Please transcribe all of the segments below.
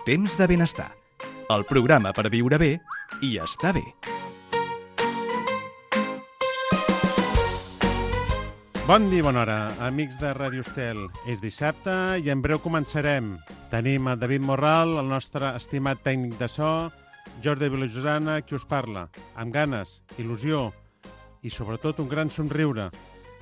Temps de benestar, el programa per viure bé i estar bé. Bon dia, bona hora, amics de Ràdio Estel. És dissabte i en breu començarem. Tenim a David Morral, el nostre estimat tècnic de so, Jordi Vilajosana, qui us parla, amb ganes, il·lusió i sobretot un gran somriure.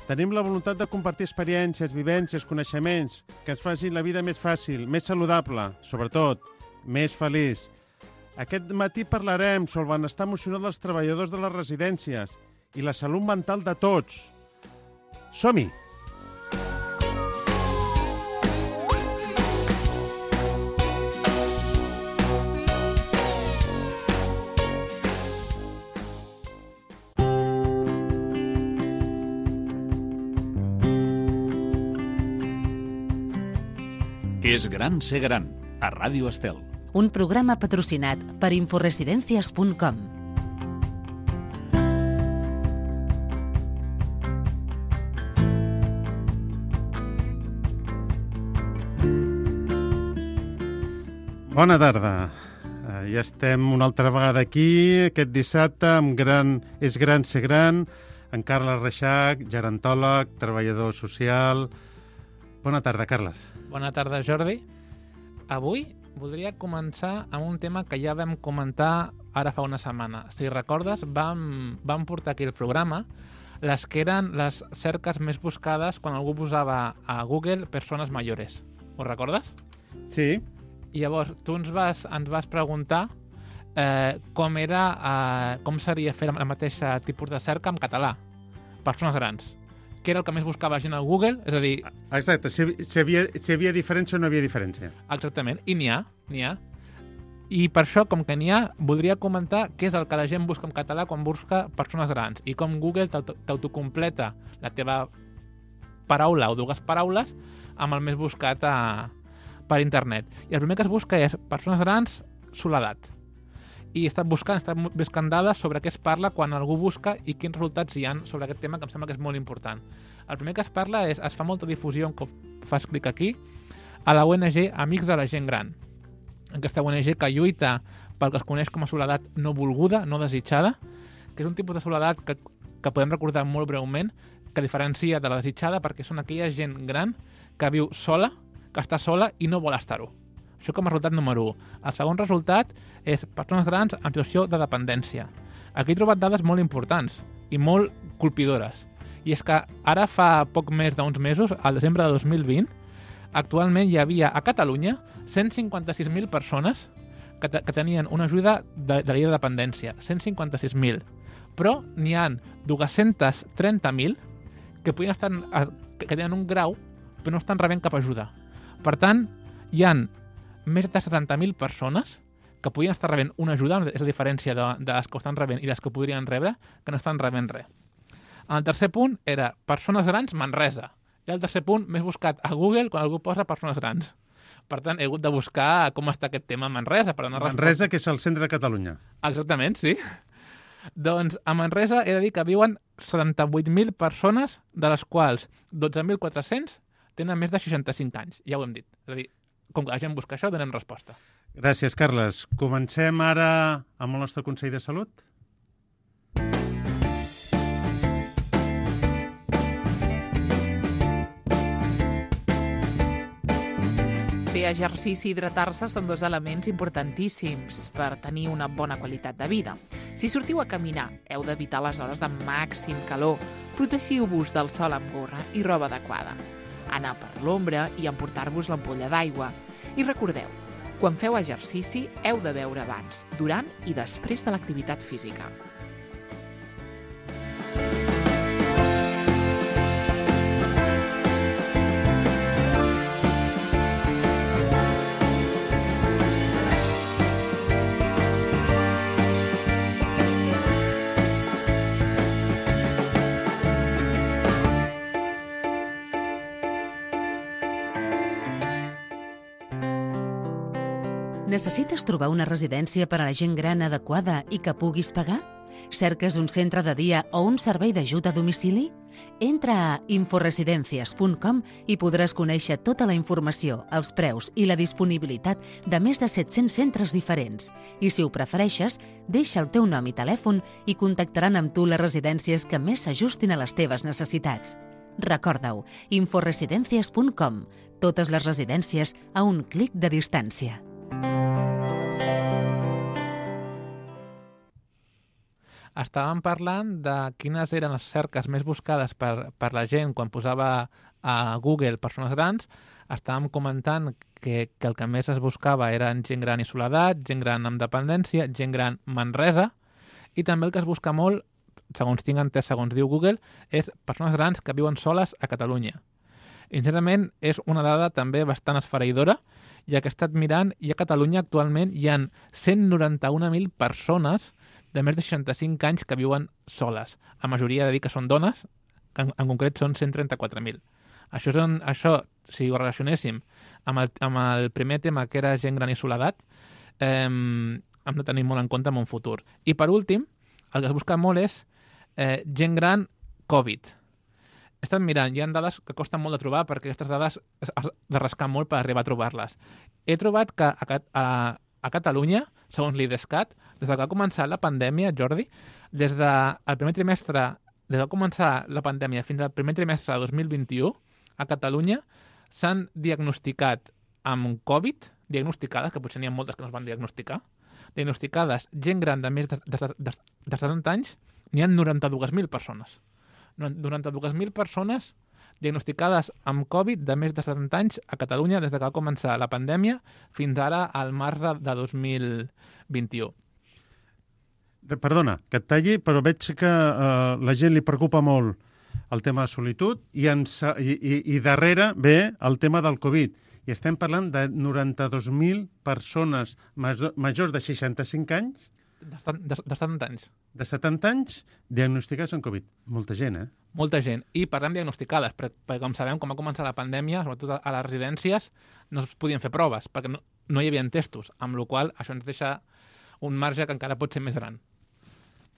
Tenim la voluntat de compartir experiències, vivències, coneixements que ens facin la vida més fàcil, més saludable, sobretot més feliç. Aquest matí parlarem sobre el benestar emocional dels treballadors de les residències i la salut mental de tots. Som-hi! És gran ser gran, a Ràdio Estel. Un programa patrocinat per inforesidencias.com. Bona tarda. Ja estem una altra vegada aquí, aquest dissabte, amb És gran ser gran, en Carles Reixac, gerontòleg, treballador social. Bona tarda, Carles. Bona tarda, Jordi. Avui voldria començar amb un tema que ja vam comentar ara fa una setmana. Si recordes, vam portar aquí el programa les que eren les cerques més buscades quan algú posava a Google persones mayores. Ho recordes? Sí. I llavors tu ens vas preguntar com seria fer el mateix tipus de cerca en català. Persones grans. Què era el que més buscava la gent a Google? És a dir... Exacte, si havia diferència o no havia diferència. Exactament, i n'hi ha. I per això, com que n'hi ha, voldria comentar què és el que la gent busca en català quan busca persones grans i com Google t'autocompleta la teva paraula o dues paraules amb el més buscat per internet. I el primer que es busca és persones grans, soledat. I he estat buscant dades sobre què es parla quan algú busca i quins resultats hi ha sobre aquest tema, que em sembla que és molt important. El primer que es parla és, es fa molta difusió, com fas clic aquí, a la ONG Amics de la Gent Gran. Aquesta ONG que lluita pel que es coneix com a soledat no volguda, no desitjada, que és un tipus de soledat que podem recordar molt breument, que diferencia de la desitjada perquè són aquella gent gran que viu sola, que està sola i no vol estar-ho. Això com a resultat número 1. El segon resultat és persones grans en situació de dependència. Aquí he trobat dades molt importants i molt colpidores. I és que ara fa poc més d'uns mesos, al desembre de 2020, actualment hi havia a Catalunya 156.000 persones que tenien una ajuda de la llei de dependència. 156.000. Però n'hi ha 230.000 que tenen un grau però no estan rebent cap ajuda. Per tant, hi ha més de 70.000 persones que podien estar rebent una ajuda, és la diferència de les que ho estan rebent i les que podrien rebre, que no estan rebent res. El tercer punt era persones grans Manresa. I el tercer punt més buscat a Google quan algú posa persones grans. Per tant, he hagut de buscar com està aquest tema a Manresa. Per donar Manresa, que és el centre de Catalunya. Exactament, sí. Doncs a Manresa he de dir que viuen 78.000 persones, de les quals 12.400 tenen més de 65 anys. Ja ho hem dit. És a dir, com que la gent busca això, donem resposta. Gràcies, Carles. Comencem ara amb el nostre Consell de Salut. Fer exercici i hidratar-se són dos elements importantíssims per tenir una bona qualitat de vida. Si sortiu a caminar, heu d'evitar les hores de màxim calor. Protegiu-vos del sol amb gorra i roba adequada. Anar per l'ombra i emportar-vos l'ampolla d'aigua. I recordeu, quan feu exercici heu de beure abans, durant i després de l'activitat física. Necessites trobar una residència per a la gent gran adequada i que puguis pagar? Cerques un centre de dia o un servei d'ajut a domicili? Entra a inforesidencias.com i podràs conèixer tota la informació, els preus i la disponibilitat de més de 700 centres diferents. I si ho prefereixes, deixa el teu nom i telèfon i contactaran amb tu les residències que més s'ajustin a les teves necessitats. Recorda-ho, inforesidencias.com. Totes les residències a un clic de distància. Estàvem parlant de quines eren les cerques més buscades per la gent quan posava a Google persones grans. Estàvem comentant que el que més es buscava eren gent gran i soledat, gent gran amb dependència, gent gran Manresa, i també el que es busca molt, segons tinc entès, segons diu Google, és persones grans que viuen soles a Catalunya. I, sincerament, és una dada també bastant esfereïdora, ja que he estat mirant i a Catalunya actualment hi ha 191.000 persones de més de 65 anys que viuen soles. La majoria de dir que són dones, en concret són 134.000. Això, si ho relacionéssim amb el primer tema, que era gent gran i soledat, hem de tenir molt en compte en un futur. I per últim, el que es busca molt és gent gran Covid. He estat mirant, hi ha dades que costen molt de trobar perquè aquestes dades has de rascar molt per arribar a trobar-les. He trobat que a Catalunya, segons l'IDESCAT, des que va començar la pandèmia, Jordi, des que va començar la pandèmia fins al primer trimestre de 2021, a Catalunya s'han diagnosticat amb Covid, diagnosticades, que potser n'hi ha moltes que no es van diagnosticar, diagnosticades gent gran de més de 70 anys, n'hi ha 92.000 persones. 92.000 persones diagnosticades amb Covid de més de 70 anys a Catalunya des que va començar la pandèmia fins ara al març de 2021. Perdona, que et talli, però veig que la gent li preocupa molt el tema de solitud i darrere ve el tema del Covid. I estem parlant de 92.000 persones majors de 65 anys De 70 anys. De 70 anys diagnosticats amb Covid. Molta gent, eh? Molta gent. I parlem diagnosticades, perquè com sabem, quan va començar la pandèmia, sobretot a les residències, no es podien fer proves, perquè no hi havia testos, amb la qual cosa això ens deixa un marge que encara pot ser més gran.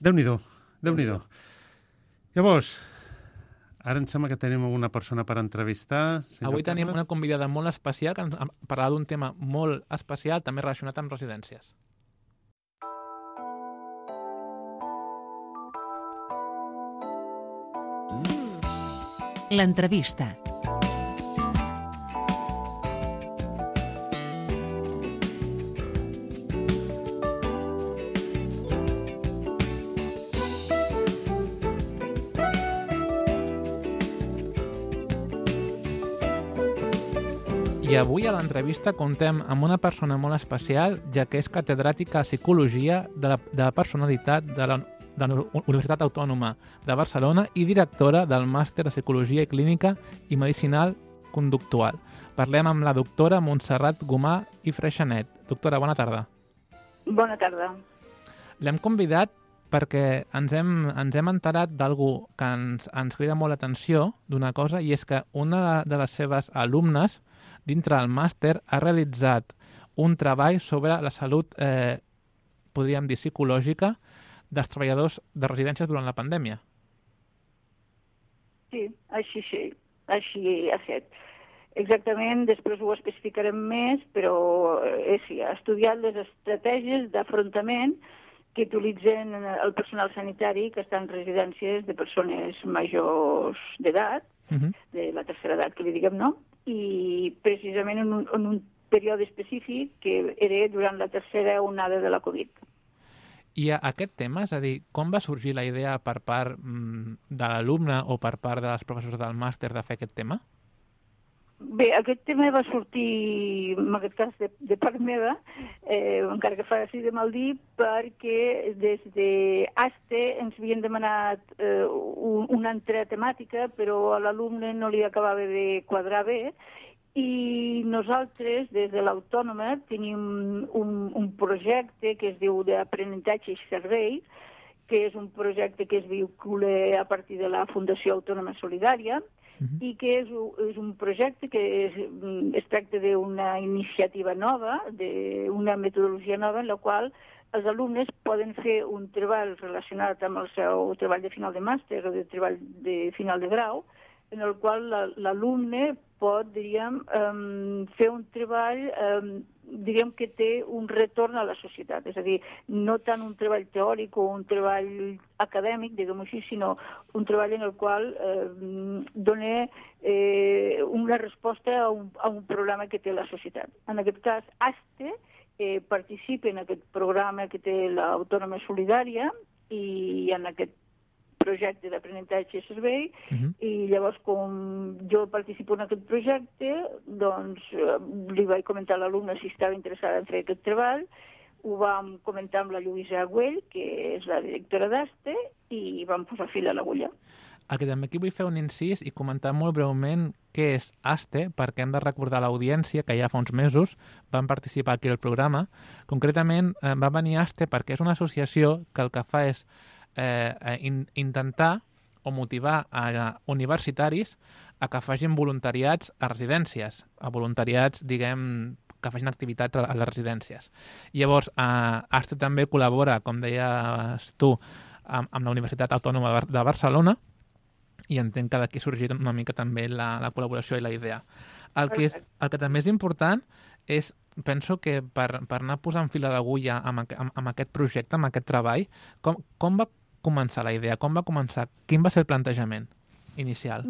Déu-n'hi-do, Déu-n'hi-do. Llavors, ara em sembla que tenim una persona per entrevistar. Avui tenim una convidada molt especial que ens parlarà d'un tema molt especial, també relacionat amb residències. L'entrevista. I avui a l'entrevista contem amb una persona molt especial, ja que és catedràtica de Psicologia de Personalitat de la Universitat Autònoma de Barcelona i directora del Màster de Psicologia i Clínica i Medicinal Conductual. Parlem amb la doctora Montserrat Gomà i Freixanet. Doctora, bona tarda. Bona tarda. L'hem convidat perquè ens hem enterat d'algú que ens crida molt l'atenció d'una cosa, i és que una de les seves alumnes dintre del màster ha realitzat un treball sobre la salut, podríem dir, psicològica dels treballadors de residències durant la pandèmia. Sí, així ha estat. Exactament, després ho especificarem més, però sí, ha estudiat les estratègies d'afrontament que utilitzen el personal sanitari que està en residències de persones majors d'edat, de la tercera edat, que li diguem, no? I precisament en un període específic que era durant la tercera onada de la Covid. I aquest tema, és a dir, com va sorgir la idea per part de l'alumne o per part dels professors del màster de fer aquest tema? Bé, aquest tema va sortir, en aquest cas, de part meva, encara que faci de mal dir, perquè des d'ASTE ens havien demanat una altra temàtica, però a l'alumne no li acabava de quadrar bé, i nosaltres, des de l'Autònoma, tenim un projecte que es diu d'aprenentatge i servei, que és un projecte que es vincula a partir de la Fundació Autònoma Solidària, i que és un projecte que es tracta d'una iniciativa nova, d'una metodologia nova en la qual els alumnes poden fer un treball relacionat amb el seu treball de final de màster o de treball de final de grau, en el qual l'alumne pot, diríem, fer un treball, diríem que té un retorn a la societat, és a dir, no tant un treball teòric o un treball acadèmic, diguem-ho així, sinó un treball en el qual dona una resposta a un problema que té la societat. En aquest cas, ASTE participa en aquest programa que té l'Autònoma Solidària i en aquest projecte d'aprenentatge i servei, i llavors com jo participo en aquest projecte, doncs li vaig comentar a l'alumne si estava interessada en fer aquest treball, ho vam comentar amb la Lluïsa Güell, que és la directora d'ASTE, i vam posar fil a l'agulla. El que també aquí vull fer un incís i comentar molt breument què és ASTE, perquè hem de recordar a l'audiència que ja fa uns mesos van participar aquí al programa. Concretament va venir ASTE perquè és una associació que el que fa és intentar o motivar a universitaris a que facin voluntariats a residències, a voluntariats, diguem, que facin activitats a les residències. Llavors, ASTE també col·labora, com deies tu, amb la Universitat Autònoma de Barcelona, i entenc que d'aquí ha sorgit una mica també la col·laboració i la idea. El que també és important és, penso que per anar posant fil a l'agulla amb aquest projecte, amb aquest treball, com va començar la idea? Com va començar? Quin va ser el plantejament inicial?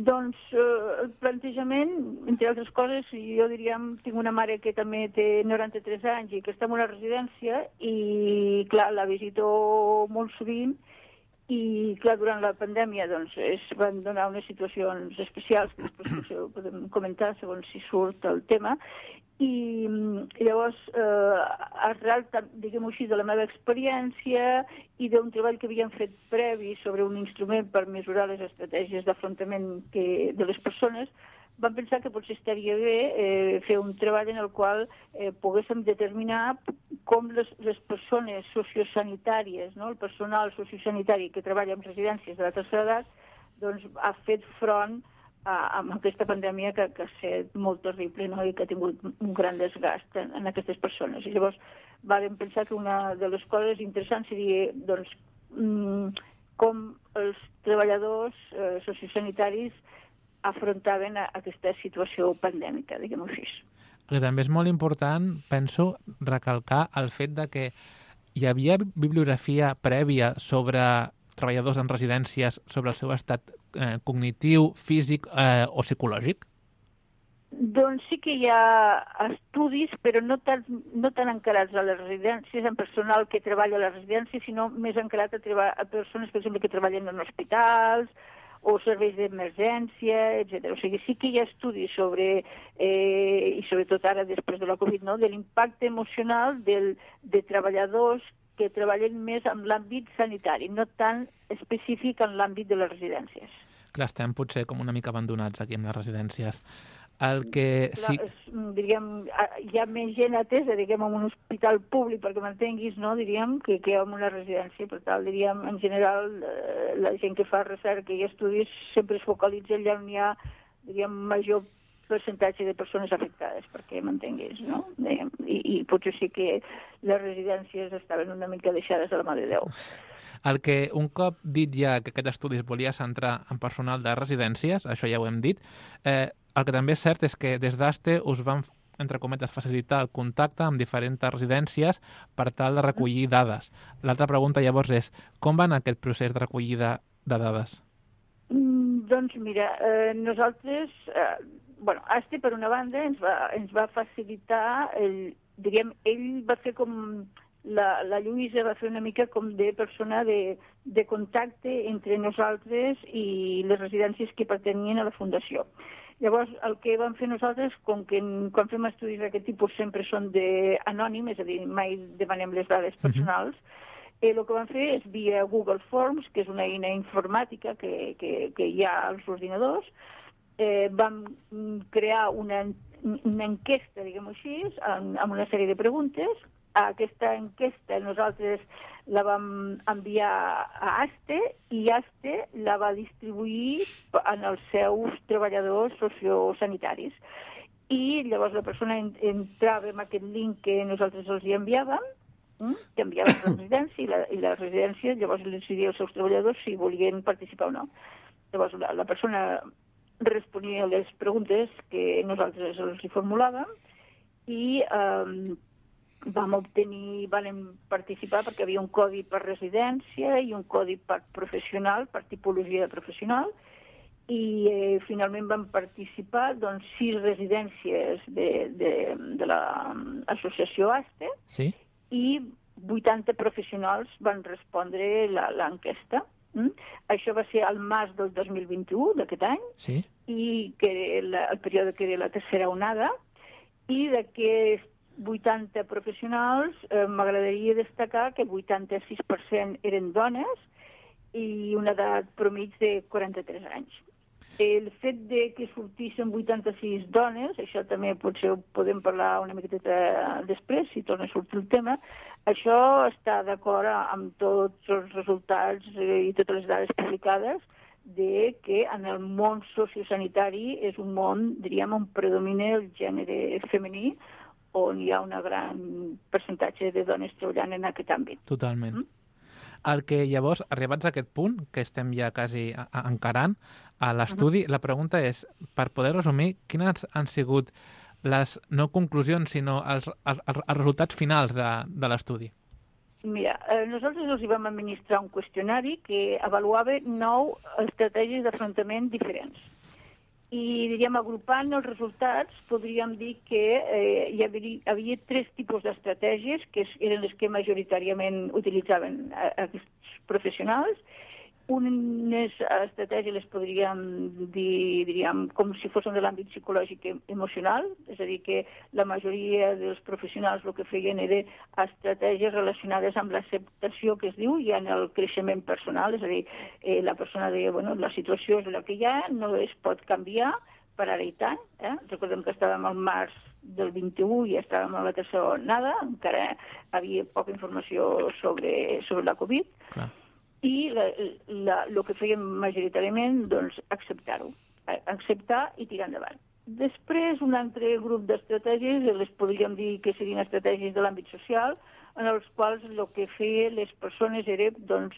Doncs el plantejament, entre altres coses, jo diríem, tinc una mare que també té 93 anys i que està en una residència i, clar, la visito molt sovint i, clar, durant la pandèmia doncs, es van donar unes situacions especials que després podem comentar segons si surt el tema. I llavors, arrel, diguem-ho així, de la meva experiència i d'un treball que havíem fet previ sobre un instrument per mesurar les estratègies d'afrontament de les persones, vam pensar que potser estaria bé fer un treball en el qual poguéssim determinar com les persones sociosanitàries, no? El personal sociosanitari que treballa en residències de la tercera edat, doncs ha fet front amb aquesta pandèmia que ha estat molt terrible, no? I que ha tingut un gran desgast en aquestes persones. I llavors vam pensar que una de les coses interessants seria doncs, com els treballadors sociosanitaris afrontaven aquesta situació pandèmica, diguem-ho així. Que també és molt important, penso, recalcar el fet de que hi havia bibliografia prèvia sobre treballadors en residències sobre el seu estat cognitiu, físic o psicològic? Doncs sí que hi ha estudis, però no tan encarats a les residències, en personal que treballa a les residències, sinó més encarat a persones, per exemple, que treballen en hospitals o serveis d'emergència, etc. O sigui, sí que hi ha estudis sobre, i sobretot ara després de la Covid, no?, de l'impacte emocional de treballadors que treballen més en l'àmbit sanitari, no tan específic en l'àmbit de les residències. Clar, estem potser com una mica abandonats aquí en les residències. El que sí... Diríem, hi ha més gent atesa, diguem, en un hospital públic, perquè m'entenguis, no?, diríem, que en una residència. Per tant, diríem, en general, la gent que fa recerca i estudis sempre es focalitza allà on hi ha, diríem, major percentatge de persones afectades, perquè m'entenguis, no? I potser sí que les residències estaven una mica deixades a la mà de Déu. El que un cop dit ja que aquest estudi es volia centrar en personal de residències, això ja ho hem dit, el que també és cert és que des d'ASTE us van, entre cometes, facilitar el contacte amb diferents residències per tal de recollir dades. L'altra pregunta llavors és, com va anar aquest procés de recollida de dades? Doncs mira, nosaltres... ASTE, per una banda, ens va facilitar, diríem, ell va fer com... La Lluïsa va fer una mica com de persona de contacte entre nosaltres i les residències que pertanyien a la Fundació. Llavors, el que vam fer nosaltres, com que quan fem estudis d'aquest tipus sempre són anònim, és a dir, mai demanem les dades personals, el que vam fer és via Google Forms, que és una eina informàtica que hi ha als ordinadors, vam crear una enquesta, diguem-ho així, amb una sèrie de preguntes. Aquesta enquesta nosaltres la vam enviar a ASTE i ASTE la va distribuir en els seus treballadors sociosanitaris. I llavors la persona entrava en aquest link que nosaltres els hi enviàvem, canviaven la residència i la residència llavors els decidia als seus treballadors si volien participar o no. Llavors la persona responia a les preguntes que nosaltres els formulàvem i vam participar perquè havia un codi per residència i un codi per professional, per tipologia de professional, i finalment van participar 6 residències de l'associació ASTE, Sí? i 80 professionals van respondre l'enquesta. Això va ser al març del 2021, d'aquest any, Sí? i que era el període que era la tercera onada, i d'aquests 80 professionals m'agradaria destacar que el 86% eren dones i una edat promig de 43 anys. El fet de que sortissin 86 dones, això també potser ho podem parlar una miqueta després, si torna a sortir el tema, això està d'acord amb tots els resultats i totes les dades publicades de que en el món sociosanitari és un món, diríem, on predomina el gènere femení, on hi ha un gran percentatge de dones treballant en aquest àmbit. Totalment. El que llavors, arribats a aquest punt, que estem ja quasi encarant a l'estudi, la pregunta és, per poder resumir, quines han sigut les no conclusions, sinó els resultats finals de l'estudi? Mira, nosaltres els vam administrar un qüestionari que avaluava 9 estratègies d'afrontament diferents. I, diríem, agrupant els resultats, podríem dir que hi havia 3 tipus d'estratègies que eren les que majoritàriament utilitzaven aquests professionals. Unes estratègies les podríem dir, diríem, com si fossin de l'àmbit psicològic i emocional, és a dir, que la majoria dels professionals el que feien era estratègies relacionades amb l'acceptació que es diu i en el creixement personal, és a dir, la persona deia, bueno, la situació és la que hi ha, no es pot canviar per ara i tant. Recordem que estàvem al març del 21 i estàvem a la tercera onada, encara havia poca informació sobre la Covid. Clar. I el que fèiem majoritàriament, doncs, acceptar-ho, acceptar i tirar endavant. Després, un altre grup d'estratègies, les podríem dir que serien estratègies de l'àmbit social, en els quals el que feien les persones era, doncs,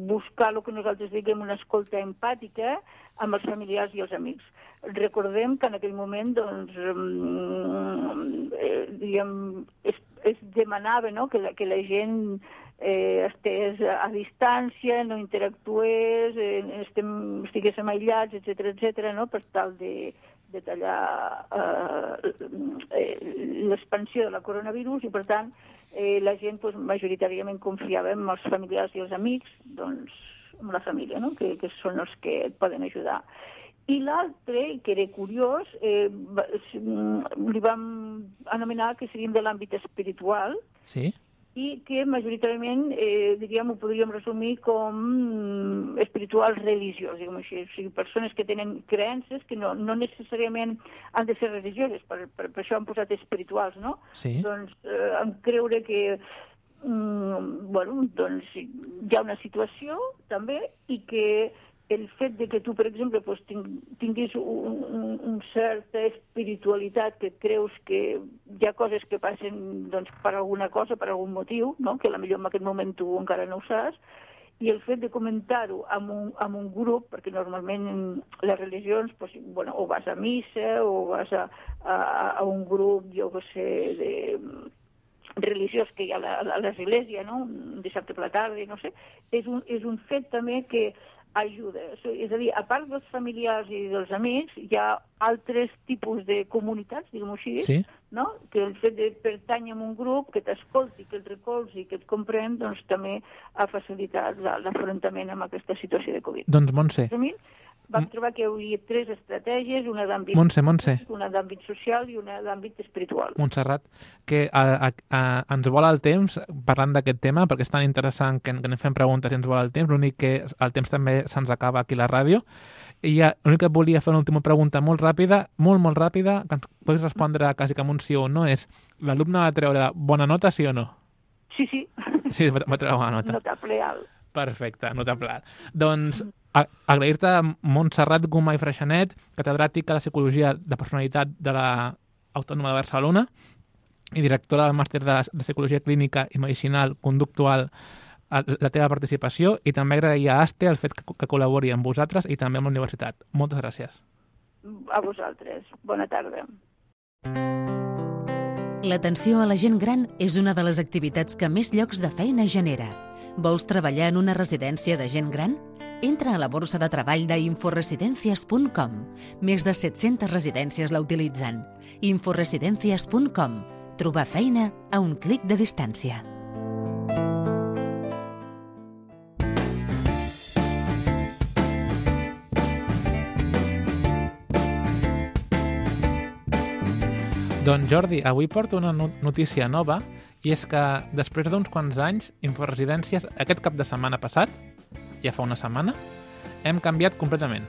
buscar el que nosaltres diguem una escolta empàtica amb els familiars i els amics. Recordem que en aquell moment, doncs, es demanava, no?, que la gent estés a distància, no interactués, estiguéssim aïllats, etcètera, no?, per tal de tallar l'expansió de la coronavirus i, per tant, la gent majoritàriament confiava en els familiars i els amics, doncs, en la família, no?, que són els que et poden ajudar. I l'altre, que era curiós, li vam anomenar que serien de l'àmbit espiritual, Sí? i que majoritàriament, diríem, ho podríem resumir com espirituals religiós, diguem així. O sigui, persones que tenen creences que no necessàriament han de ser religioses, per això han posat espirituals, no? Sí. Doncs en creure que doncs hi ha una situació també i que el fet de que tu, per exemple, tinguis una certa espiritualitat, que creus que hi ha coses que passen per alguna cosa, per algun motiu, no?, que potser en aquest moment tu encara no ho saps, i el fet de comentar-ho amb un grup, perquè normalment les religions, o vas a missa o vas a un grup, jo què sé, religiós que hi ha a l'església, no?, un dissabte per la tarda, no sé, és un fet també que ajuda. És a dir, a part dels familiars i dels amics, hi ha altres tipus de comunitats, diguem-ho així, Sí. no?, que el fet de pertànyer a un grup que t'escolti, que et recolzi, que et comprèn, doncs també ha facilitat l'afrontament amb aquesta situació de Covid. Doncs, Montse, Vam trobar que hi havia 3 estratègies, una d'àmbit Montse. una d'àmbit social i una d'àmbit espiritual. Montserrat, que ens vola el temps parlant d'aquest tema, perquè és tan interessant que anem fent preguntes i ens vola el temps, l'únic que el temps també se'ns acaba aquí a la ràdio, i l'únic que volia fer una última pregunta molt ràpida, molt ràpida, que ens pots respondre quasi com un sí o no, és l'alumne va treure bona nota, sí o no? Sí. Sí, va treure bona nota. Notable alt. Perfecte, notable alt. Doncs agrair-te a Montserrat Gomà i Freixanet, catedràtica de Psicologia de Personalitat de l'Autònoma de Barcelona, i directora del màster de Psicologia Clínica i Medicinal Conductual, la teva participació, i també agrair a ASTE el fet que col·labori amb vosaltres i també amb la universitat. Moltes gràcies. A vosaltres. Bona tarda. L'atenció a la gent gran és una de les activitats que més llocs de feina genera. Vols treballar en una residència de gent gran? Entra a la borsa de treball d'inforesidencias.com. Més de 700 residències la utilitzen. Inforesidencias.com. Trobar feina a un clic de distància. Doncs Jordi, avui porto una notícia nova, i és que després d'uns quants anys, Inforesidències, aquest cap de setmana passat, ja fa una setmana, hem canviat completament.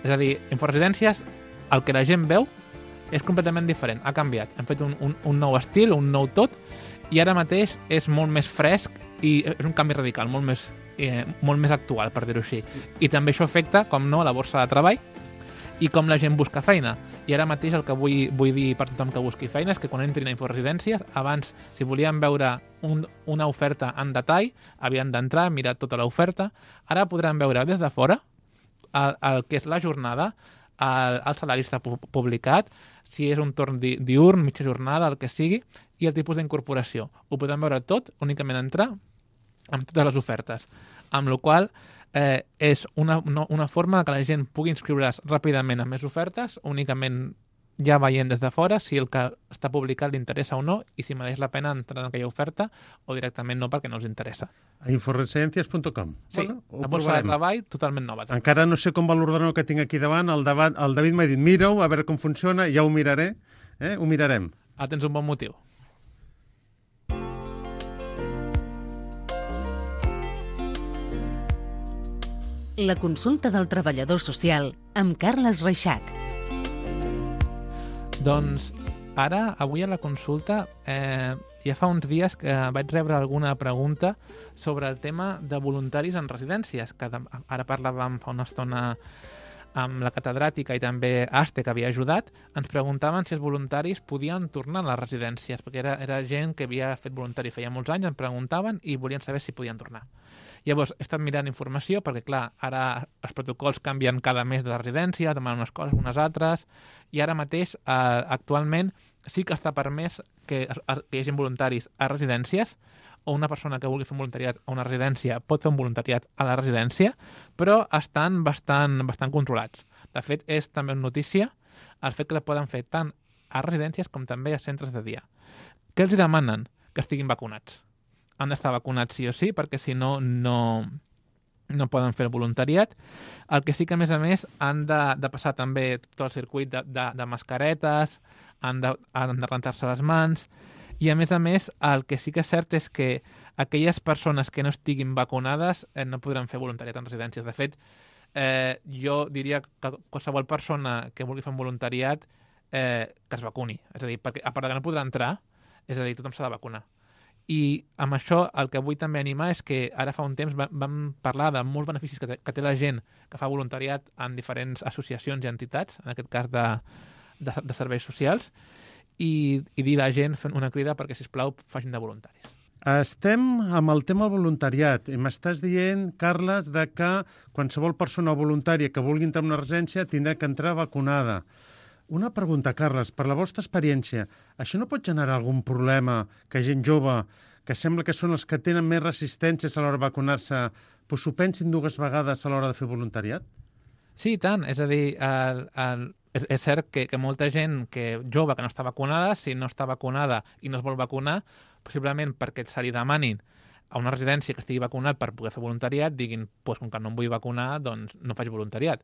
És a dir, Inforesidències, el que la gent veu, és completament diferent, ha canviat. Hem fet un nou estil, un nou tot, i ara mateix és molt més fresc i és un canvi radical, molt més actual, per dir-ho així. I també això afecta, com no, a la borsa de treball i com la gent busca feina. I ara mateix el que vull dir per tothom que busqui feina és que quan entrin a Inforesidències, abans, si volien veure una oferta en detall, havien d'entrar, mirar tota l'oferta. Ara podran veure des de fora el que és la jornada, el salari està publicat, si és un torn diürn, mitja jornada, el que sigui, i el tipus d'incorporació. Ho podran veure tot, únicament entrar amb totes les ofertes. Amb la qual és una forma que la gent pugui inscriure's ràpidament a més ofertes, únicament ja veient des de fora si el que està publicat li interessa o no i si mereix la pena entrar en aquella oferta o directament no perquè no els interessa. A inforesidencias.com. Sí, bueno, la borsa de treball totalment nova. També. Encara no sé com va l'ordenador que tinc aquí davant. El David m'ha dit, mira-ho, a veure com funciona, ja ho miraré. Ho mirarem. Tens un bon motiu. La consulta del treballador social amb Carles Reixac. Doncs ara, avui a la consulta, ja fa uns dies que vaig rebre alguna pregunta sobre el tema de voluntaris en residències, que ara parlàvem fa una estona amb la catedràtica i també ASTE, que havia ajudat. Ens preguntaven si els voluntaris podien tornar a les residències, perquè era gent que havia fet voluntari feia molts anys, ens preguntaven i volien saber si podien tornar. Llavors, he estat mirant informació perquè, clar, ara els protocols canvien cada mes de la residència, demanen unes coses, unes altres, i ara mateix, actualment, sí que està permès que hi hagi voluntaris a residències, o una persona que vulgui fer un voluntariat a una residència pot fer un voluntariat a la residència, però estan bastant controlats. De fet, és també una notícia el fet que la poden fer tant a residències com també a centres de dia. Què els demanen? Que estiguin vacunats. Han d'estar vacunats sí o sí, perquè si no, no poden fer el voluntariat. El que sí que, a més, han de passar també tot el circuit de mascaretes, han de rentar-se les mans, i, a més, el que sí que és cert és que aquelles persones que no estiguin vacunades no podran fer voluntariat en residències. De fet, jo diria que qualsevol persona que vulgui fer un voluntariat que es vacuni. És a dir, perquè a part que no podrà entrar, és a dir, tothom s'ha de vacunar. I amb això el que vull també animar és que ara fa un temps vam parlar de molts beneficis que té la gent que fa voluntariat en diferents associacions i entitats, en aquest cas de serveis socials, i dir a la gent fent una crida perquè, sisplau, facin de voluntaris. Estem amb el tema del voluntariat i m'estàs dient, Carles, de que qualsevol persona voluntària que vulgui entrar en una residència tindrà que entrar vacunada. Una pregunta, Carles, per la vostra experiència, això no pot generar algun problema que gent jove, que sembla que són els que tenen més resistències a l'hora de vacunar-se, doncs s'ho pensin dues vegades a l'hora de fer voluntariat? Sí, i tant. És a dir, és cert que molta gent jove que no està vacunada, si no està vacunada i no es vol vacunar, possiblement perquè se li demanin a una residència que estigui vacunat per poder fer voluntariat, diguin, doncs com que no em vull vacunar, doncs no faig voluntariat.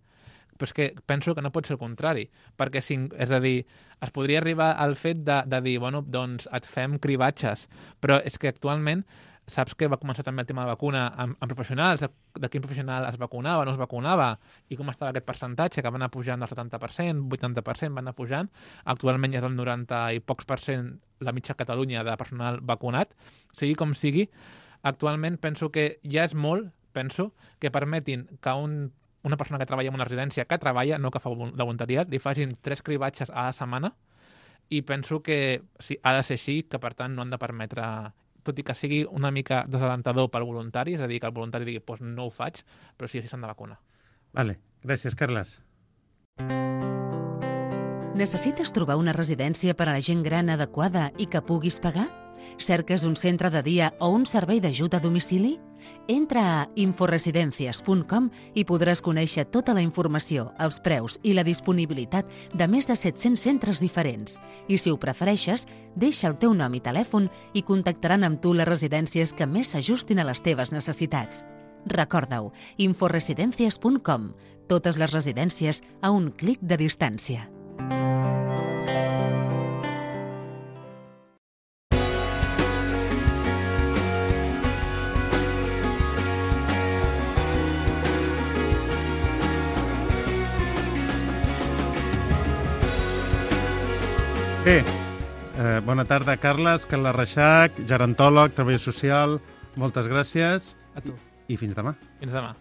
Però és que penso que no pot ser el contrari, perquè, és a dir, es podria arribar al fet de dir, bueno, doncs et fem cribatges, però és que actualment saps que va començar també el tema de vacuna amb professionals, de quin professional es vacunava, no es vacunava, i com estava aquest percentatge, que va anar pujant del 70%, 80%, va anar pujant, actualment ja és el 90 i pocs % la mitja Catalunya de personal vacunat. Sigui com sigui, actualment penso que ja és molt, que permetin que una persona que treballa en una residència, que treballa, no que fa de voluntariat, li facin 3 cribatges a la setmana i penso que sí, ha de ser així, que per tant no han de permetre, tot i que sigui una mica desalentador pel voluntari, és a dir, que el voluntari digui doncs no ho faig, però sí s'han de vacunar. Vale, gràcies, Carles. Necessites trobar una residència per a la gent gran adequada i que puguis pagar? Cerques un centre de dia o un servei d'ajut a domicili? Entra a inforesidencias.com i podràs conèixer tota la informació, els preus i la disponibilitat de més de 700 centres diferents. I si ho prefereixes, deixa el teu nom i telèfon i contactaran amb tu les residències que més s'ajustin a les teves necessitats. Recorda-ho, inforesidencias.com. Totes les residències a un clic de distància. Bé, bona tarda, Carles, Carles Reixac, gerontòleg, treball social, moltes gràcies. A tu. I fins demà. Fins demà.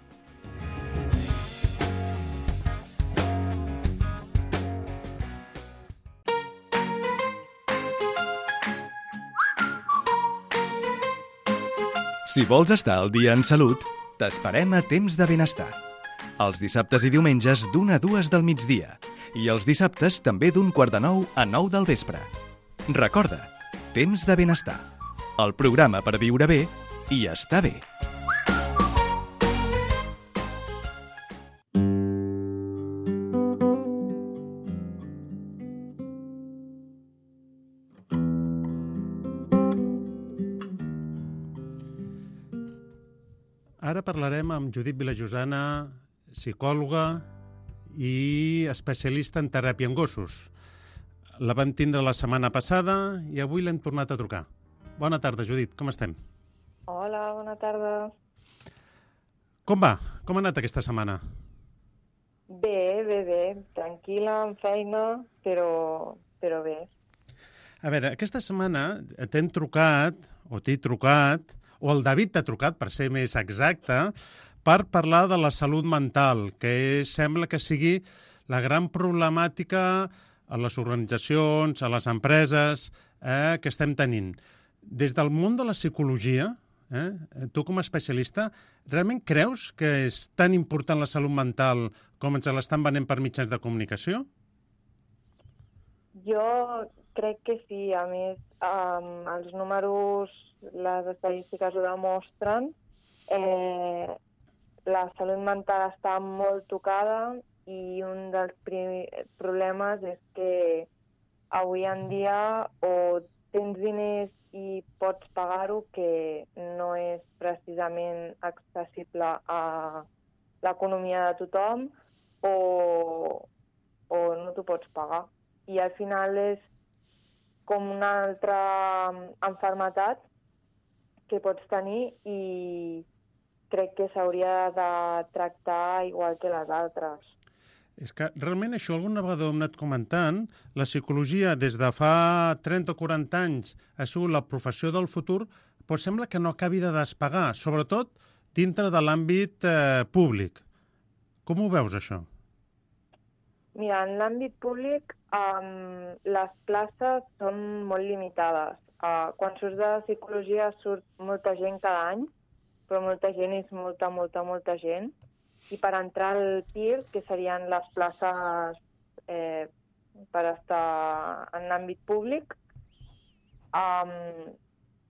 Si vols estar al dia en salut, t'esperem a Temps de Benestar. Els dissabtes i diumenges d'1 a 2 del migdia. I els dissabtes també d'8:45 a 9 del vespre. Recorda, Temps de Benestar. El programa per viure bé i estar bé. Ara parlarem amb Judit Vilajosana, psicòloga i especialista en teràpia en gossos. La vam tindre la setmana passada i avui l'hem tornat a trucar. Bona tarda, Judit, com estem? Hola, bona tarda. Com va? Com ha anat aquesta setmana? Bé. Tranquil·la, amb feina, però bé. A veure, aquesta setmana t'hem trucat, o t'he trucat, o el David t'ha trucat, per ser més exacte, per parlar de la salut mental, que sembla que sigui la gran problemàtica a les organitzacions, a les empreses que estem tenint. Des del món de la psicologia, tu com a especialista, realment creus que és tan important la salut mental com ens l'estan venent per mitjans de comunicació? Jo crec que sí. A més, els números, les estadístiques ho demostren. La salut mental està molt tocada i un dels problemes és que avui en dia o tens diners i pots pagar-ho, que no és precisament accessible a l'economia de tothom, o no t'ho pots pagar. I al final és com una altra malaltia que pots tenir i crec que s'hauria de tractar igual que les altres. És que realment això alguna vegada ho hem anat comentant. La psicologia des de fa 30 o 40 anys ha sigut la professió del futur, però sembla que no acabi de despegar, sobretot dintre de l'àmbit públic. Com ho veus, això? Mira, en l'àmbit públic les places són molt limitades. Quan surts de psicologia surt molta gent cada any, però molta gent és molta gent. I per entrar al PIR, que serien les places per estar en l'àmbit públic,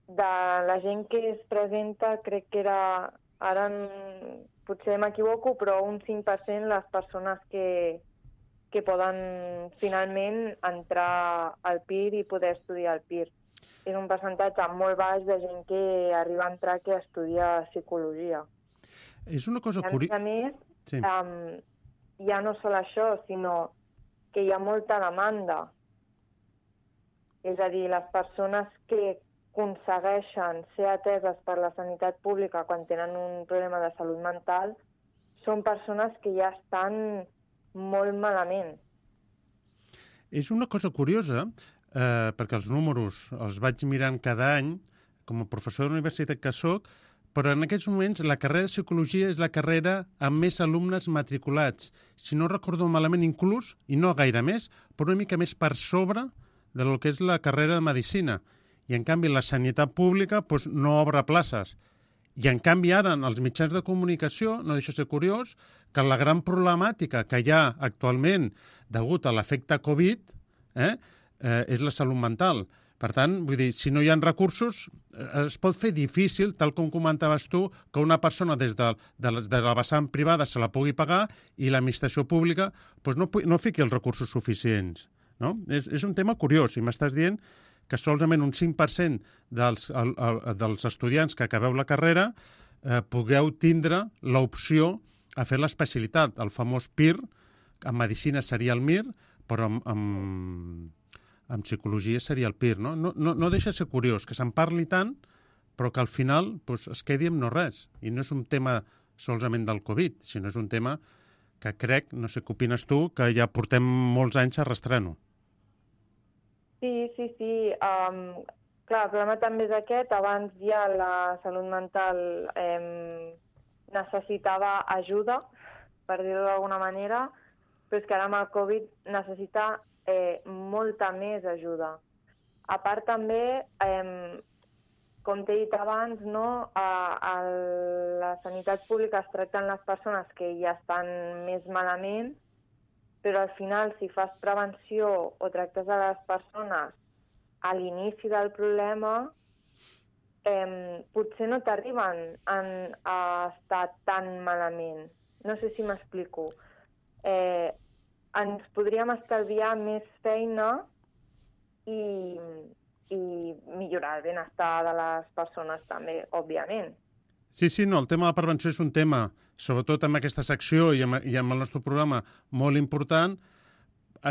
de la gent que es presenta, crec que era, ara potser m'equivoco, però un 5% les persones que poden finalment entrar al PIR i poder estudiar al PIR. És un percentatge molt baix de gent que arriba a entrar que estudia psicologia. És una cosa curiosa. A més, sí. Ja no sol això, sinó que hi ha molta demanda. És a dir, les persones que aconsegueixen ser ateses per la sanitat pública quan tenen un problema de salut mental són persones que ja estan molt malament. És una cosa curiosa, perquè els números els vaig mirant cada any, com a professor de la universitat que soc, però en aquests moments la carrera de psicologia és la carrera amb més alumnes matriculats. Si no recordo malament, inclús, i no gaire més, però una mica més per sobre del que és la carrera de Medicina. I, en canvi, la sanitat pública doncs, no obre places. I, en canvi, ara, en els mitjans de comunicació, no deixa de ser curiós, que la gran problemàtica que hi ha actualment degut a l'efecte Covid és la salut mental. Per tant, vull dir, si no hi ha recursos, es pot fer difícil, tal com comentaves tu, que una persona des de la vessant privada se la pugui pagar i l'administració pública doncs no fiqui els recursos suficients. No? És un tema curiós, i m'estàs dient que solament un 5% dels estudiants que acabeu la carrera pugueu tindre l'opció a fer l'especialitat, el famós PIR, en medicina seria el MIR, però en psicologia seria el PIR. No deixa de ser curiós que se'n parli tant, però que al final doncs, es quedi amb no res. I no és un tema solament del Covid, sinó és un tema que crec, no sé què opines tu, que ja portem molts anys arrastrant-ho. Sí. Clar, el problema també és aquest. Abans ja la salut mental necessitava ajuda, per dir-ho d'alguna manera, però és que ara amb el Covid necessita molta més ajuda. A part també, com t'he dit abans, no, a la sanitat pública es tracten les persones que ja estan més malament, però al final, si fas prevenció o tractes a les persones a l'inici del problema, potser no t'arriben a estar tan malament. No sé si m'explico. Ens podríem estalviar més feina i millorar el benestar de les persones també, òbviament. Sí, no, el tema de la prevenció és un tema, sobretot amb aquesta secció i amb el nostre programa, molt important.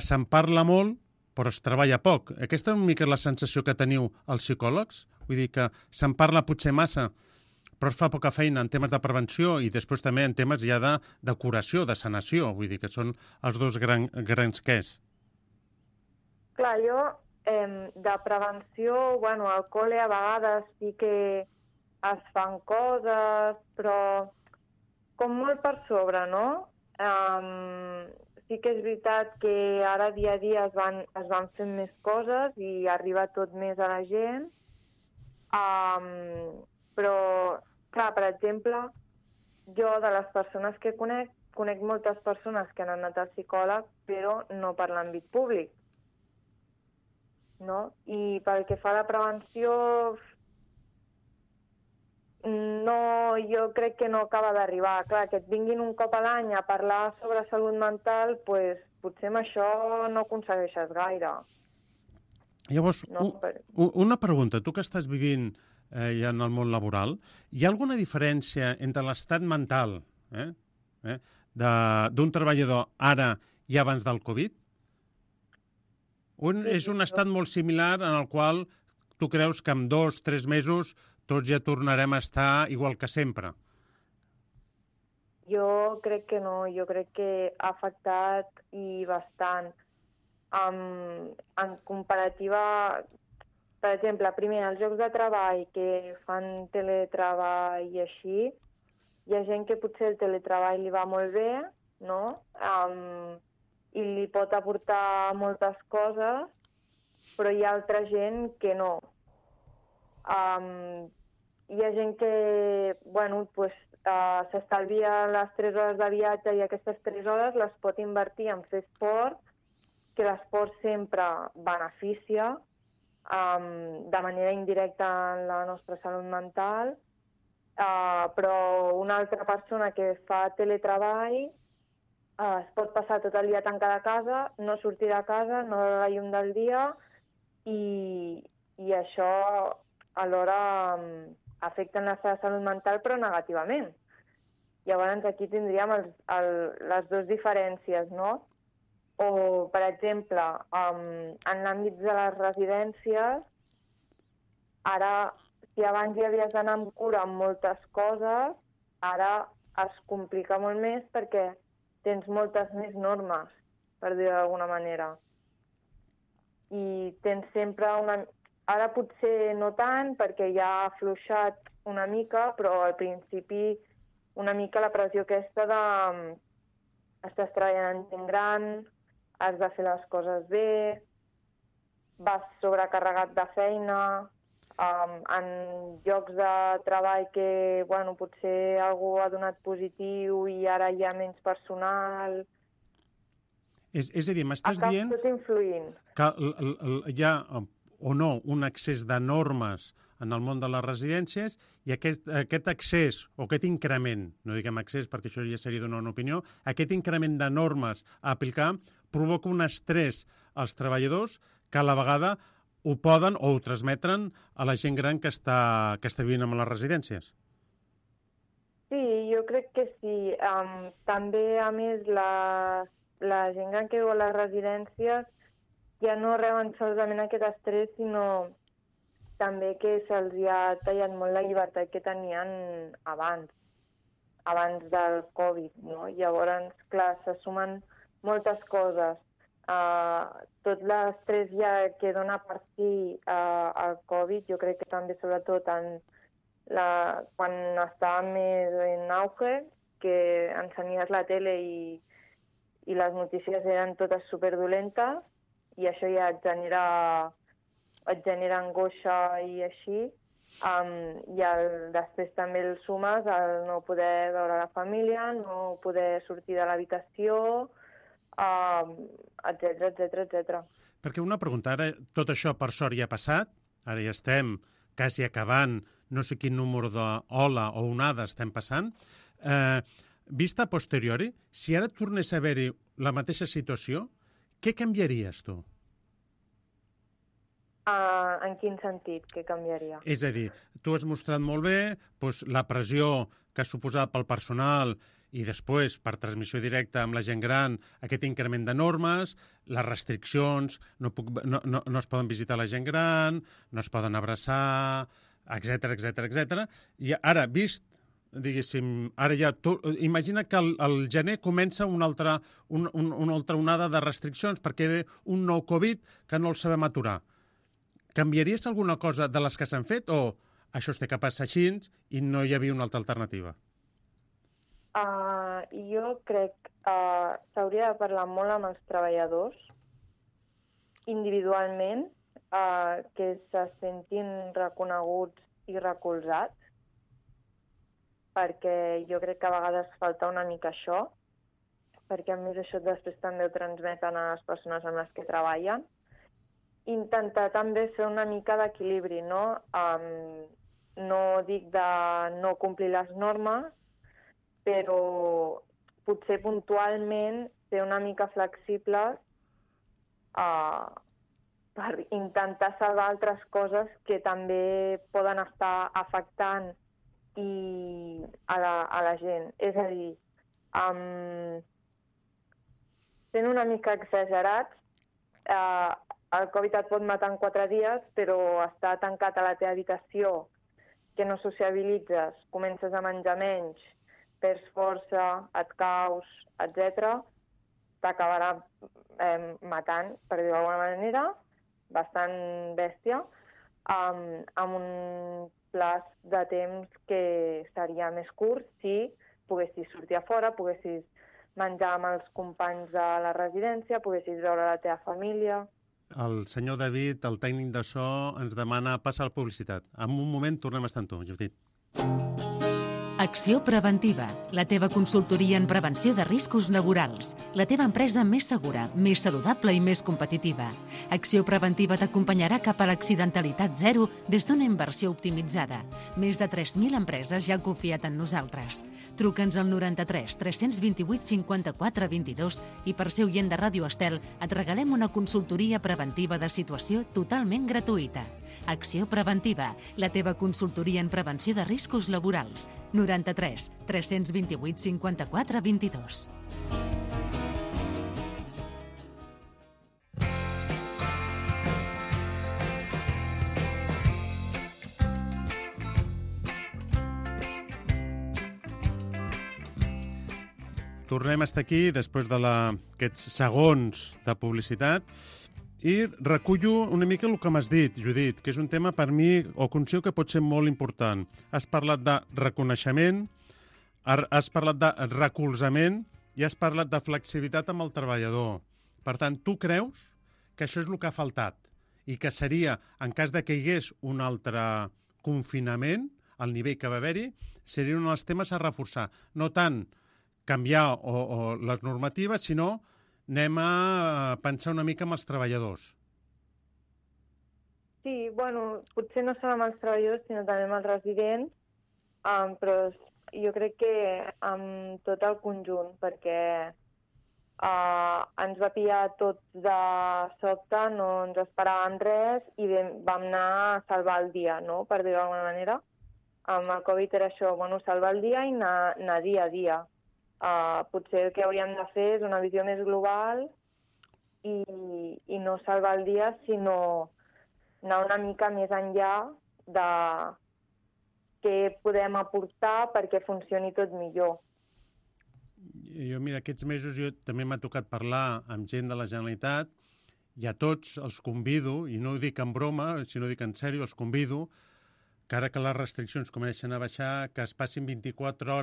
Se'n parla molt, però es treballa poc. Aquesta és una mica la sensació que teniu els psicòlegs? Vull dir que se'n parla potser massa, però es fa poca feina en temes de prevenció i després també en temes ja de curació, de sanació. Vull dir que són els dos grans quers. Clar, jo de prevenció, bueno, al col·le a vegades sí que es fan coses, però com molt per sobre, no? Sí que és veritat que ara dia a dia es van fent més coses i arriba tot més a la gent, però, clar, per exemple, jo de les persones que conec moltes persones que han anat al psicòleg, però no per l'àmbit públic, no? I pel que fa a la prevenció, no, jo crec que no acaba d'arribar. Clar, que et vinguin un cop a l'any a parlar sobre salut mental, pues, potser amb això no aconsegueixes gaire. Llavors, una pregunta. Tu que estàs vivint ja en el món laboral, hi ha alguna diferència entre l'estat mental d'un treballador ara i abans del Covid? És un estat molt similar en el qual tu creus que en 2 o 3 mesos tots ja tornarem a estar igual que sempre? Jo crec que no, jo crec que ha afectat i bastant. En comparativa, per exemple, primer, els llocs de treball que fan teletreball i així, hi ha gent que potser el teletreball li va molt bé, no? I li pot aportar moltes coses, però hi ha altra gent que no. Hi ha gent que, bueno, pues, s'estalvia les 3 hores de viatge i aquestes 3 hores les pot invertir en fer esport, que l'esport sempre beneficia de manera indirecta en la nostra salut mental, però una altra persona que fa teletreball es pot passar tot el dia tancada a casa, no sortir de casa, no veure la llum del dia i això alhora afecta la seva salut mental però negativament. Llavors aquí tindríem les dues diferències, no? O, per exemple, en l'àmbit de les residències, ara, si abans hi havies d'anar amb cura amb moltes coses, ara es complica molt més perquè tens moltes més normes, per dir-ho d'alguna manera. I tens sempre Ara potser no tant, perquè ja ha afluixat una mica, però al principi una mica la pressió aquesta de estàs treballant en gent gran, has de fer les coses bé, vas sobrecarregat de feina, en llocs de treball que, bueno, potser algú ha donat positiu i ara hi ha menys personal. És a dir, m'estàs dient tot influint. que hi ha o no un excés de normes en el món de les residències i aquest accés o aquest increment, no diguem accés perquè això ja seria donar una opinió, aquest increment de normes a aplicar provoca un estrès als treballadors que a la vegada ho poden o ho transmetren a la gent gran que està vivint en les residències. Sí, jo crec que sí. També, a més, la gent gran que viu a les residències ja no reben solament aquest estrès, sinó també que se'ls ha tallat molt la llibertat que tenien abans del Covid, no? Llavors, clar, se sumen moltes coses. Tot l'estrès ja que dona per si el Covid, jo crec que també sobretot quan estava més en auge, que ensenyies la tele i les notícies eren totes superdolentes, i això ja et genera angoixa i així, i després també el sumes el no poder veure la família, no poder sortir de l'habitació, etc. Perquè una pregunta, ara tot això per sort ja ha passat, ara ja estem quasi acabant, no sé quin número d'ola o onada estem passant, vista a posteriori, si ara tornés a haver-hi la mateixa situació, què canviaries tu? En quin sentit que canviaria? És a dir, tu has mostrat molt bé la pressió que ha suposat pel personal i després, per transmissió directa amb la gent gran, aquest increment de normes, les restriccions, no es poden visitar la gent gran, no es poden abraçar, etc. I ara, vist, diguéssim, ara ja... Imagina que al gener comença una altra onada de restriccions perquè ve un nou Covid que no el sabem aturar. Canviaries alguna cosa de les que s'han fet o això es té que passar així i no hi havia una altra alternativa? Jo crec que s'hauria de parlar molt amb els treballadors individualment, que se sentin reconeguts i recolzats, perquè jo crec que a vegades falta una mica això, perquè a més això després també ho transmeten a les persones amb les que treballen. Intentar també fer una mica d'equilibri, no? No dic de no complir les normes, però potser puntualment ser una mica flexibles per intentar salvar altres coses que també poden estar afectant a la gent. És a dir, sent una mica exagerats, el Covid et pot matar en 4 dies, però estar tancat a la teva habitació, que no sociabilitzes, comences a menjar menys, perds força, et caus, etc., t'acabarà matant, per dir-ho d'alguna manera, bastant bèstia, amb un plaç de temps que seria més curt si poguessis sortir a fora, poguessis menjar amb els companys de la residència, poguessis veure la teva família. El senyor David, el tècnic de so, ens demana passar la publicitat. En un moment tornem a estar amb tu, Judit. Acció Preventiva, la teva consultoria en prevenció de riscos laborals. La teva empresa més segura, més saludable i més competitiva. Acció Preventiva t'acompanyarà cap a l'accidentalitat zero des d'una inversió optimitzada. Més de 3.000 empreses ja han confiat en nosaltres. Truca'ns al 93 328 54 22 i per ser oient de Ràdio Estel et regalem una consultoria preventiva de situació totalment gratuïta. Acció Preventiva, la teva consultoria en prevenció de riscos laborals. 93 328 54 22. Tornem a estar aquí després d'aquests segons de publicitat i recullo una mica el que m'has dit, Judit, que és un tema per mi, o considero que pot ser molt important. Has parlat de reconeixement, has parlat de recolzament i has parlat de flexibilitat amb el treballador. Per tant, tu creus que això és el que ha faltat i que seria, en cas de que hi hagués un altre confinament, al nivell que va haver-hi, seria un dels temes a reforçar. No tant canviar o les normatives, sinó anem a pensar una mica amb els treballadors. Sí, bueno, potser no són amb els treballadors, sinó també amb els residents, però jo crec que amb tot el conjunt, perquè ens va pillar tots de sobte, no ens esperàvem res i vam anar a salvar el dia, no?, per dir-ho d'alguna manera. Amb el Covid era això, bueno, salvar el dia i anar dia a dia. Potser el que hauríem de fer és una visió més global i no salvar el dia, sinó anar una mica més enllà de què podem aportar perquè funcioni tot millor. Jo, mira, aquests mesos també m'ha tocat parlar amb gent de la Generalitat i a tots els convido, i no ho dic en broma, sinó dic en sèrio, els convido que ara que les restriccions comencen a baixar, que es passin 24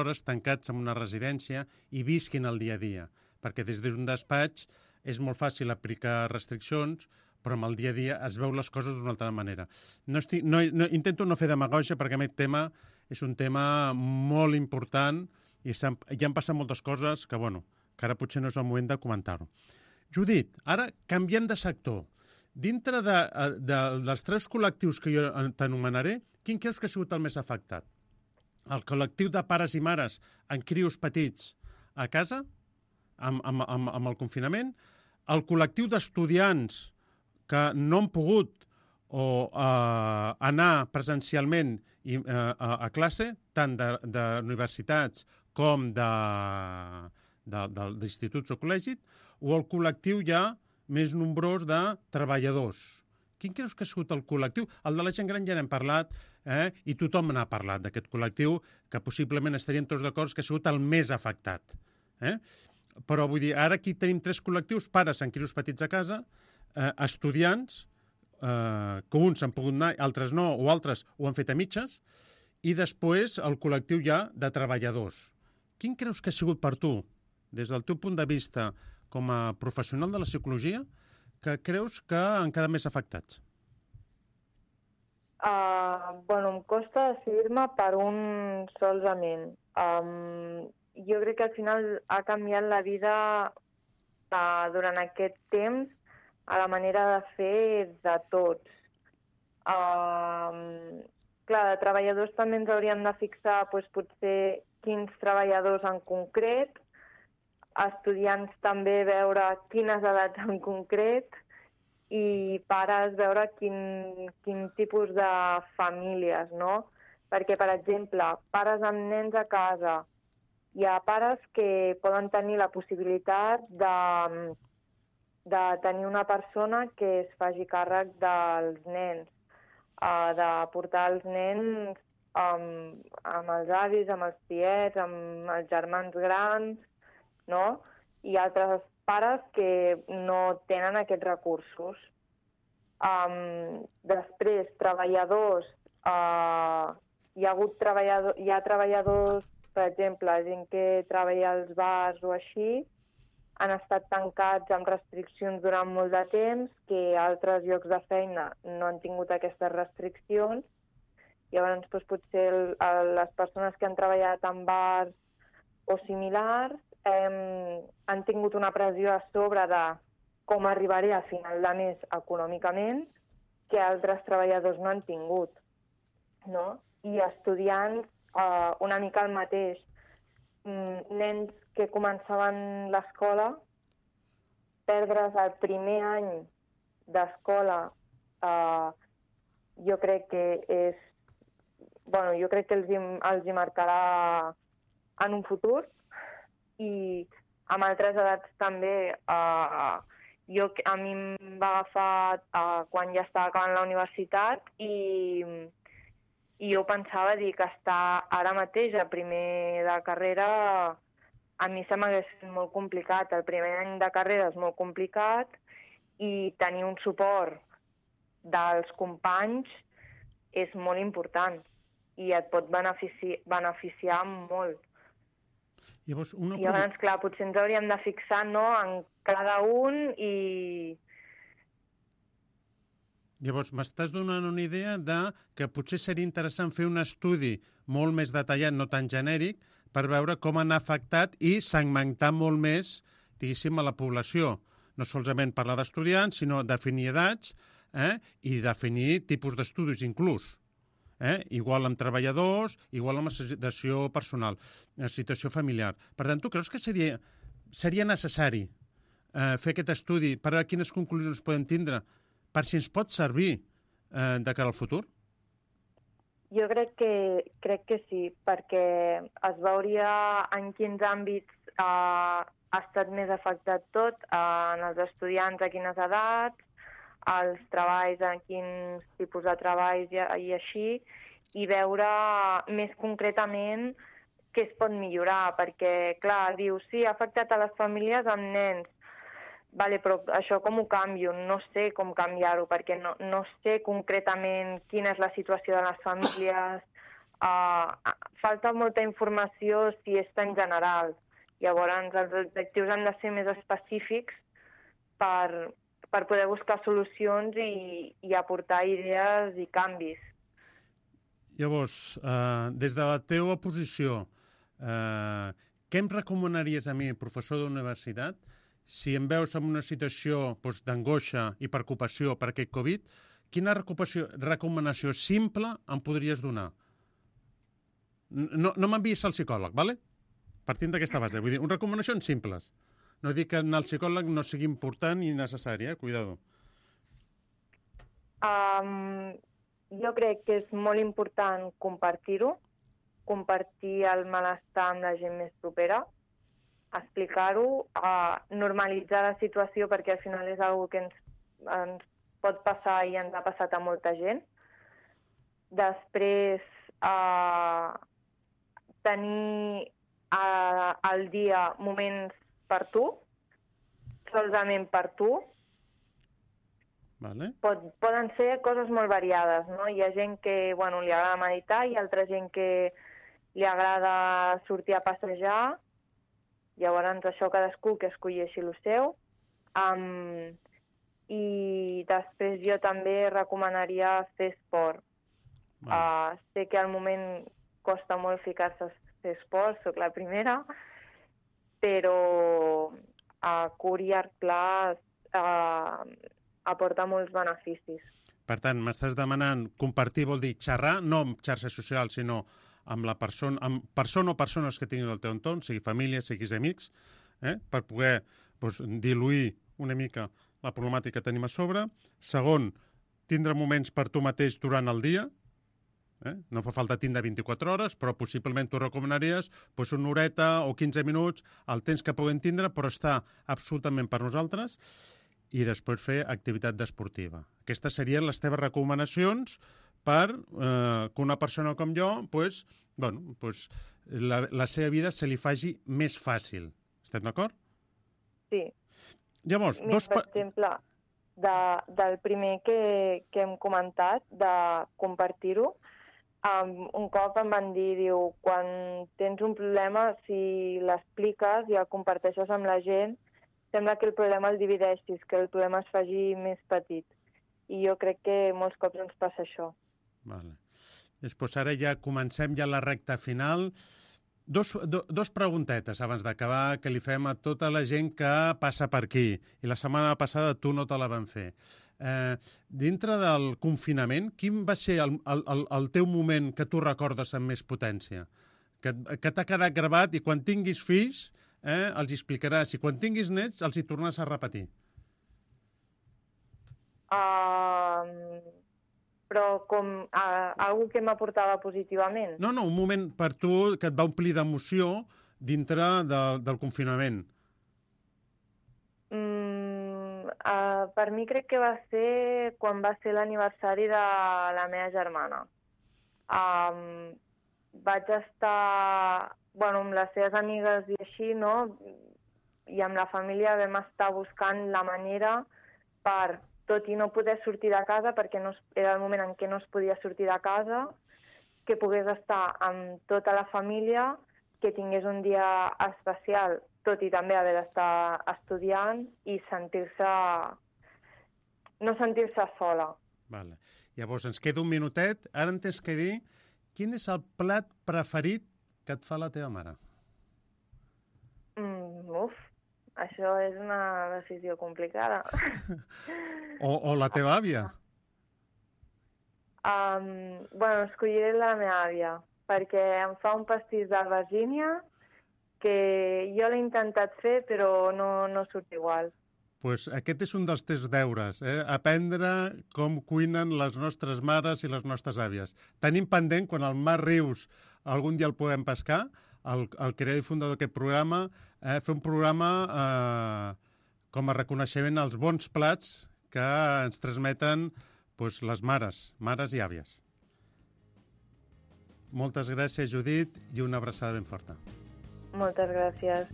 hores tancats en una residència i visquin el dia a dia, perquè des d'un despatx és molt fàcil aplicar restriccions, però amb el dia a dia es veu les coses d'una altra manera. Intento no fer demagògia perquè aquest tema és un tema molt important i ja han passat moltes coses que ara potser no és el moment de comentar-ho. Judit, ara canviem de sector. Dintre dels 3 col·lectius que jo t'anomenaré, quin creus que ha sigut el més afectat? El col·lectiu de pares i mares amb crios petits a casa, amb el confinament, el col·lectiu d'estudiants que no han pogut anar presencialment a classe, tant d'universitats com d'instituts o col·legis, o el col·lectiu ja més nombrós de treballadors. Quin creus que ha sigut el col·lectiu? El de la gent gran ja n'hem parlat, i tothom n'ha parlat d'aquest col·lectiu, que possiblement estaríem tots d'acord que ha sigut el més afectat. Però vull dir, ara aquí tenim 3 col·lectius, pares amb crios petits a casa, estudiants, que uns han pogut anar, altres no, o altres ho han fet a mitges, i després el col·lectiu ja de treballadors. Quin creus que ha sigut per tu, des del teu punt de vista com a professional de la psicologia, que creus que han quedat més afectats? Em costa decidir-me per un solament. Jo crec que al final ha canviat la vida durant aquest temps a la manera de fer de tots. Clar, de treballadors també ens hauríem de fixar potser quins treballadors en concret, estudiants també veure quines edats en concret i pares veure quin tipus de famílies, no? Perquè, per exemple, pares amb nens a casa, hi ha pares que poden tenir la possibilitat de tenir una persona que es faci càrrec dels nens, de portar els nens amb els avis, amb els tiets, amb els germans grans, no? I altres pares que no tenen aquests recursos. Després, treballadors, hi ha treballadors, per exemple, gent que treballa als bars o així, han estat tancats amb restriccions durant molt de temps, que altres llocs de feina no han tingut aquestes restriccions. Llavors, potser les persones que han treballat en bars o similars han tingut una pressió a sobre de com arribaré a final de mes econòmicament, que altres treballadors no han tingut, no? I estudiants, una mica el mateix. Nens que començaven l'escola, perdre's el primer any d'escola, jo crec que els hi marcarà en un futur, i amb altres edats també. A mi em va agafar quan ja estava acabant la universitat i jo pensava que estar ara mateix a primer de carrera a mi se m'hagués fet molt complicat. El primer any de carrera és molt complicat i tenir un suport dels companys és molt important i et pot beneficiar molt. Llavors, clar, potser ens hauríem de fixar, no, en cada un i Llavors, m'estàs donant una idea de que potser seria interessant fer un estudi molt més detallat, no tan genèric, per veure com han afectat i segmentar molt més, diguéssim, a la població. No solament parlar d'estudiants, sinó definir edats i definir tipus d'estudis inclús. Igual amb treballadors, igual amb la situació personal, la situació familiar. Per tant, tu creus que seria necessari fer aquest estudi per veure quines conclusions podem tindre, per si ens pot servir de cara al futur? Jo crec que sí, perquè es veuria en quins àmbits ha estat més afectat tot, en els estudiants a quines edats, els treballs en quins tipus de treballs i així, i veure més concretament què es pot millorar, perquè, clar, diu, sí, ha afectat a les famílies amb nens, vale, però això com ho canvio? No sé com canviar-ho, perquè no sé concretament quina és la situació de les famílies. Falta molta informació si és en general. Llavors, els objectius han de ser més específics per poder buscar solucions i aportar idees i canvis. Llavors, des de la teva posició, què em recomanaries a mi, professor d'universitat, si em veus en una situació d'angoixa i preocupació per aquest Covid, quina recomanació simple em podries donar? No m'enviïs al psicòleg, d'acord? Partint d'aquesta base. Vull dir, recomanacions simples. No dic que anar al psicòleg no sigui important i necessari, cuidado. Jo crec que és molt important compartir-ho, compartir el malestar amb la gent més propera, explicar-ho, normalitzar la situació, perquè al final és una cosa que ens pot passar i ens ha passat a molta gent. Després, tenir al dia moments per tu, solament per tu. Vale. Poden ser coses molt variades, no? Hi ha gent que li agrada meditar, hi ha altra gent que li agrada sortir a passejar. Llavors, això cadascú que escolleixi el seu. I després jo també recomanaria fer esport. Sé que al moment costa molt ficar-se a fer esport, soc la primera, però a curt i llarg plaç aporta molts beneficis. Per tant, m'estàs demanant compartir, vol dir xerrar, no amb xarxes socials, sinó amb persona o persones que tinguin al teu entorn, sigui família, siguis amics, per poder diluir una mica la problemàtica que tenim a sobre. Segon, tindre moments per tu mateix durant el dia. No fa falta tindre 24 hores, però possiblement tu recomanaries una horeta o 15 minuts, el temps que puguem tindre, però està absolutament per nosaltres. I després fer activitat esportiva. Aquestes serien les teves recomanacions per que una persona com jo la seva vida se li faci més fàcil. Estem d'acord? Sí. Llavors, per exemple, del primer que hem comentat, de compartir-ho, un cop em van dir, quan tens un problema, si l'expliques i el comparteixes amb la gent, sembla que el problema el divideixis, que el problema es faci més petit. I jo crec que molts cops ens passa això. Vale. Després ara ja comencem la recta final. Dos preguntetes abans d'acabar que li fem a tota la gent que passa per aquí. I la setmana passada tu no te la van fer. Dintre del confinament, quin va ser el teu moment que tu recordes amb més potència? Que t'ha quedat gravat i quan tinguis fills els explicaràs. I quan tinguis nets els hi tornaràs a repetir. Però com algú que m'aportava positivament? No, un moment per tu que et va omplir d'emoció dintre del confinament. Per mi crec que va ser quan va ser l'aniversari de la meva germana. Vaig estar amb les seves amigues i així, no? I amb la família vam estar buscant la manera per, tot i no poder sortir de casa, perquè era el moment en què no es podia sortir de casa, que pogués estar amb tota la família, que tingués un dia especial, tot i també haver d'estar estudiant i no sentir-se sola. Vale. Llavors, ens queda un minutet. Ara em tens que dir quin és el plat preferit que et fa la teva mare. Això és una decisió complicada. O la teva àvia. Escolliré la meva àvia, perquè em fa un pastís d'albergínia que jo l'he intentat fer, però no surt igual. Pues aquest és un dels teus deures, aprendre com cuinen les nostres mares i les nostres àvies. Tenim pendent, quan el Marc Rius algun dia el podem pescar, el creador i fundador d'aquest programa, fer un programa com a reconeixement als bons plats que ens transmeten les mares i àvies. Moltes gràcies, Judit, i una abraçada ben forta. Moltes gràcies.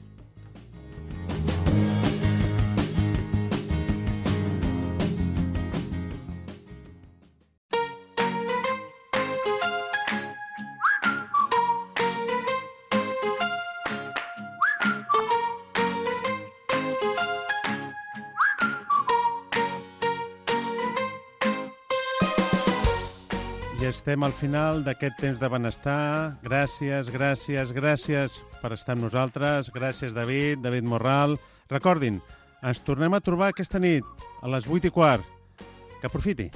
I estem al final d'aquest temps de benestar. Gràcies per estar amb nosaltres. Gràcies, David Morral. Recordin, ens tornem a trobar aquesta nit a les 8:15. Que aprofiti.